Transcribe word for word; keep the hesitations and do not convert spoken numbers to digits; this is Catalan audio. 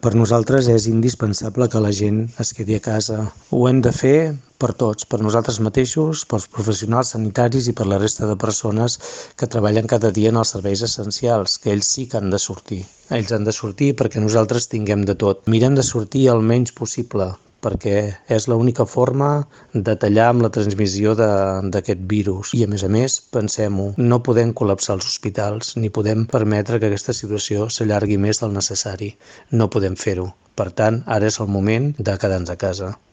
Per nosaltres és indispensable que la gent es quedi a casa. Ho hem de fer per tots, per nosaltres mateixos, pels professionals sanitaris i per la resta de persones que treballen cada dia en els serveis essencials, que ells sí que han de sortir. Ells han de sortir perquè nosaltres tinguem de tot. Mirem de sortir el menys possible, perquè és l'única forma de tallar amb la transmissió d'aquest virus. I a més a més, pensem-ho, no podem col·lapsar els hospitals, ni podem permetre que aquesta situació s'allargui més del necessari. No podem fer-ho. Per tant, ara és el moment de quedar-nos a casa.